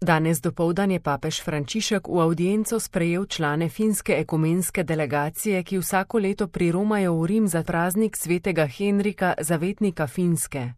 Danes dopoldan je papež Frančišek v avdienco sprejel člane finske ekumenske delegacije, ki vsako leto priromajo v Rim za praznik svetega Henrika, zavetnika Finske.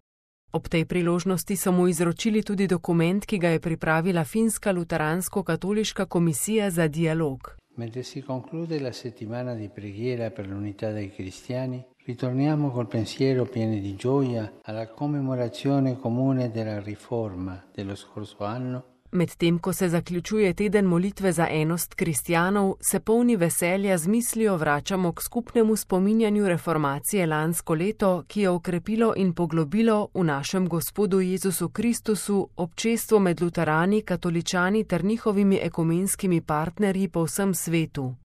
Ob tej priložnosti so mu izročili tudi dokument, ki ga je pripravila finska luteransko-katoliška komisija za dialog. Mentre si conclude la settimana di preghiera per l'unità dei cristiani, ritorniamo col pensiero pieno di gioia alla commemorazione comune della riforma dello scorso anno. Medtem ko se zaključuje teden molitve za enost kristjanov, se polni veselja z mislijo vračamo k skupnemu spominjanju reformacije lansko leto, ki je okrepilo in poglobilo v našem Gospodu Jezusu Kristusu občestvo med luterani, katoličani ter njihovimi ekumenskimi partnerji po vsem svetu.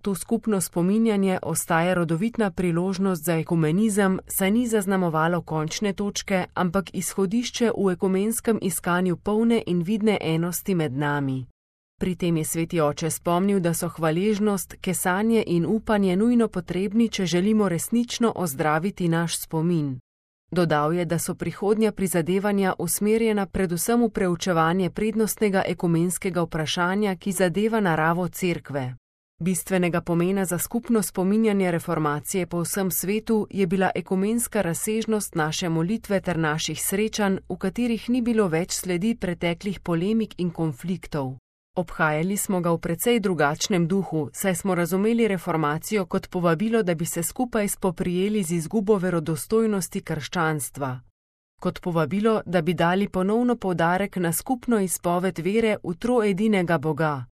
To skupno spominjanje ostaja rodovitna priložnost za ekumenizem, saj ni zaznamovalo končne točke, ampak izhodišče v ekumenskem iskanju polne in vidne enosti med nami. Pri tem je sveti oče spomnil, da so hvaležnost, kesanje in upanje nujno potrebni, če želimo resnično ozdraviti naš spomin. Dodal je, da so prihodnja prizadevanja usmerjena predvsem v preučevanje prednostnega ekumenskega vprašanja, ki zadeva naravo cerkve. Bistvenega pomena za skupno spominjanje reformacije po vsem svetu je bila ekumenska razsežnost naše molitve ter naših srečanj, v katerih ni bilo več sledi preteklih polemik in konfliktov. Obhajali smo ga v precej drugačnem duhu, saj smo razumeli reformacijo kot povabilo, da bi se skupaj spoprijeli z izgubo verodostojnosti krščanstva. Kot povabilo, da bi dali ponovno poudarek na skupno izpoved vere v troedinega Boga.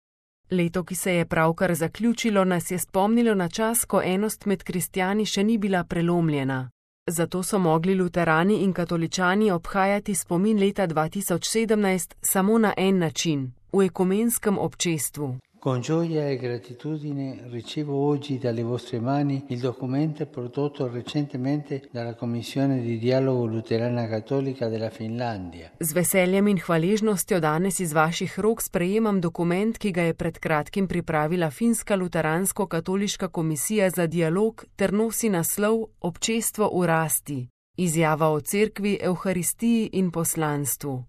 Leto, ki se je pravkar zaključilo, nas je spomnilo na čas, ko enost med kristjani še ni bila prelomljena. Zato so mogli luterani in katoličani obhajati spomin leta 2017 samo na en način, v ekumenskem občestvu. Con gioia e gratitudine ricevo oggi dalle vostre mani il documento prodotto recentemente dalla Commissione di dialogo luterana cattolica della Finlandia. Z veseljem in hvaležnostjo danes iz vaših rok sprejemam dokument, ki ga je pred kratkim pripravila finska luteransko-katoliška komisija za dialog ter nosi naslov Občestvo v rasti, izjava o cerkvi, evharistiji in poslanstvu.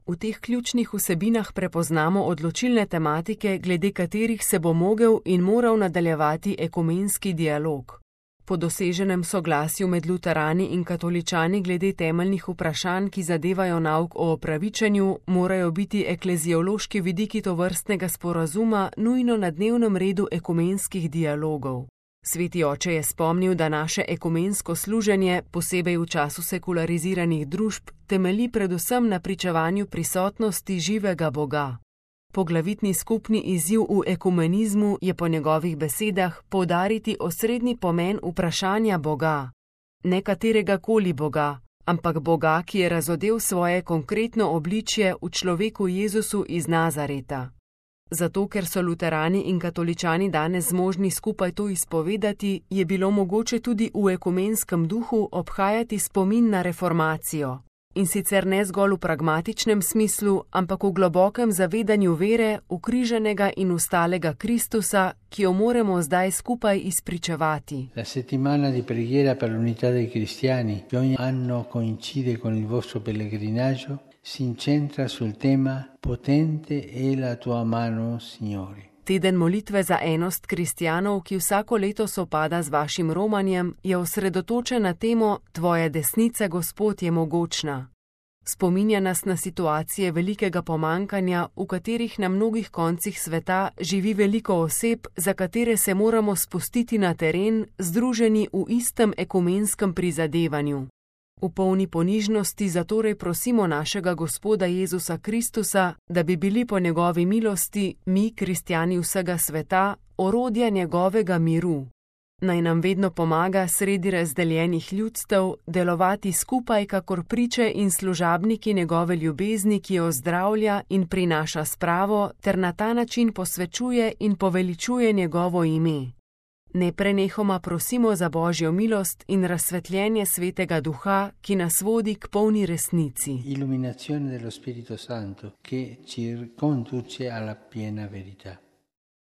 V teh ključnih vsebinah prepoznamo odločilne tematike, glede katerih se bo mogel in moral nadaljevati ekumenski dialog. Po doseženem soglasju med luterani in katoličani glede temeljnih vprašanj, ki zadevajo nauk o opravičenju, morajo biti ekleziološki vidiki tovrstnega sporazuma nujno na dnevnem redu ekumenskih dialogov. Sveti oče je spomnil, da naše ekumensko služenje, posebej v času sekulariziranih družb, temelji predvsem na pričevanju prisotnosti živega Boga. Poglavitni skupni izziv v ekumenizmu je po njegovih besedah poudariti osrednji pomen vprašanja Boga. Ne katerega koli Boga, ampak Boga, ki je razodel svoje konkretno obličje v človeku Jezusu iz Nazareta. Zato, ker so luterani in katoličani danes zmožni skupaj to izpovedati, je bilo mogoče tudi v ekumenskem duhu obhajati spomin na reformacijo. In sicer ne zgolj v pragmatičnem smislu, ampak v globokem zavedanju vere, ukriženega in ustalega Kristusa, ki jo moramo zdaj skupaj izpričevati. La settimana di preghiera per l'unità dei cristiani, che ogni anno coincide con il vostro pellegrinaggio, si incentra sul tema potente è la tua mano, Signore. Teden molitve za enost kristjanov, ki vsako leto sopada z vašim romanjem, je osredotočen na temo Tvoja desnica, Gospod, je mogočna. Spominja nas na situacije velikega pomankanja, v katerih na mnogih koncih sveta živi veliko oseb, za katere se moramo spustiti na teren, združeni v istem ekumenskem prizadevanju. V polni ponižnosti zatorej prosimo našega Gospoda Jezusa Kristusa, da bi bili po njegovi milosti, mi, kristjani vsega sveta, orodja njegovega miru. Naj nam vedno pomaga sredi razdeljenih ljudstev delovati skupaj kakor priče in služabniki njegove ljubezni, ki jo zdravlja in prinaša spravo, ter na ta način posvečuje in poveličuje njegovo ime. Neprenehoma prosimo za Božjo milost in razsvetljenje Svetega Duha, ki nas vodi k polni resnici. Illuminazione dello Spirito Santo, che ci conduce alla piena verità.